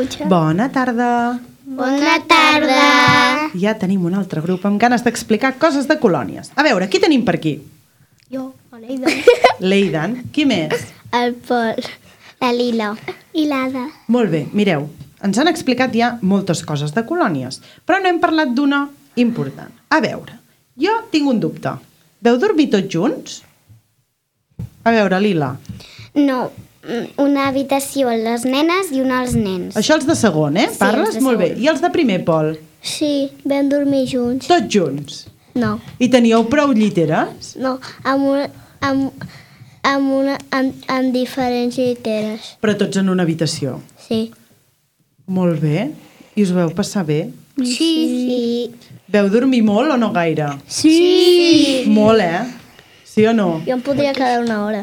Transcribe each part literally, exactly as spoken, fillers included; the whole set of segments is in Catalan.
Mucha. Bona tarda. Bona tarda. Ja tenim un altre grup amb ganes d'explicar coses de colònies. A veure, qui tenim per aquí? Jo, l'Eidan. L'Eidan. Qui més? El Pol. La Lila. I l'Ada. Molt bé, mireu, ens han explicat ja moltes coses de colònies, però no hem parlat d'una important. A veure, jo tinc un dubte. Veu dormir tots junts? A veure, Lila. No, una habitació les nenes i una als nens. Això els de segon, eh? Sí, Parles? els de Molt bé. segon. I els de primer, Pol? Sí, vam dormir junts. Tots junts? No, I teníeu prou lliteres? no, amb una, amb, amb una, amb, amb diferents lliteres. Però tots en una habitació. Sí. Molt bé. I us ho veu passar bé? Sí. Sí. Veu dormir molt o no gaire? Sí. Molt, eh? Sí o no? Jo em podria quedar una hora.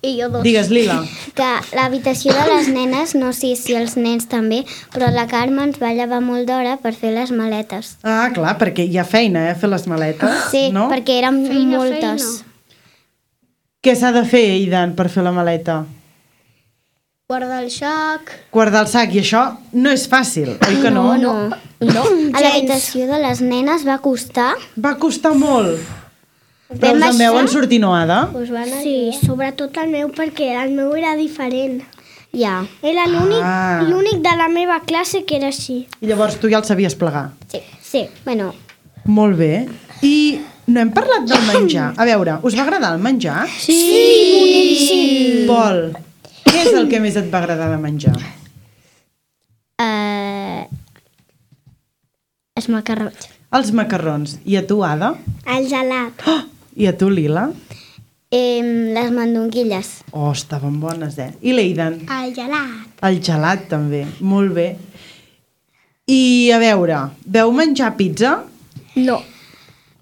I jo dos. Digues, Lila. Que l'habitació de les nenes, no sé si els nens també, però la Carme ens va llevar molt d'hora per fer les maletes. Ah, clar, perquè hi ha feina, eh? Fer les maletes, Sí, no? perquè eren Feina, moltes. feina. Què s'ha de fer, Eidan, per fer la maleta? Guardar el sac. Guardar el sac, i això no és fàcil, oi que no? No, No. a l'habitació de les nenes va costar... Va costar molt. Però Vam us en veuen baixar? sortir noada? Us van sí, sobretot el meu, perquè el meu era diferent. Ja. Era l'únic Ah. l'únic de la meva classe que era així. I llavors tu ja el sabies plegar. Sí. Sí. Bueno, Molt bé. I no hem parlat del menjar. A veure, us va agradar el menjar? Sí, boníssim. Pol, què és el que més et va agradar de menjar? eh... els macarrons. Els macarrons. I a tu, Ada? El gelat. Oh! I a tu, Lila? Eh, les mandonguilles. Oh, estaven bones, eh? I l'Eidan? El gelat. El gelat, també. Molt bé. I, a veure, veu menjar pizza? No.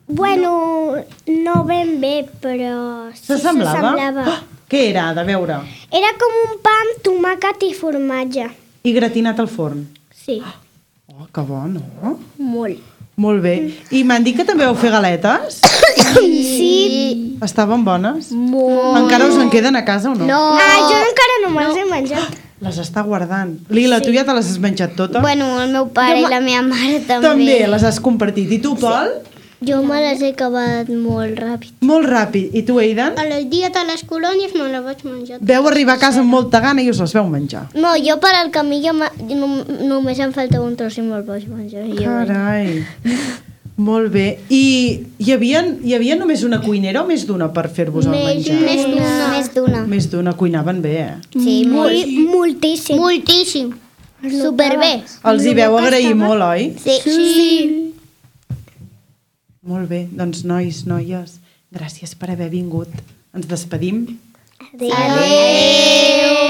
Bueno, no ben bé, però... sí S'assemblava? s'assemblava. Oh, què era, Ada? A veure. Era com un pa amb tomàquet i formatge. I gratinat al forn. Sí, Oh, que bo, no? molt. Molt bé. I m'han dit que també vau fer galetes? Sí. Estaven bones? Molt. Encara us en queden a casa o no? No. Ah, jo encara no me'ls he menjat. Les està guardant. Lila, tu ja te les has menjat totes? Bueno, el meu pare i la meva mare també. També les has compartit. I tu, Pol? Jo me les he acabat molt ràpid. Molt ràpid. I tu, Eidan? El dia de les colònies me les vaig menjar. Veu arribar a casa amb molta gana i us les veu menjar. No, jo per al camí ja me, no, només em faltava un tros i me'l vaig menjar. I jo, Carai. Molt bé. I hi havia, hi havia només una cuinera o més d'una per fer-vos el Més- menjar? més d'una. Més d'una. Més d'una. Cuinaven bé, eh? Sí, molt. moltíssim. Moltíssim. Superbé. Els hi veu agrair molt, oi? Sí. Sí. Molt bé. Doncs, nois, noies, gràcies per haver vingut. Ens despedim. Adéu.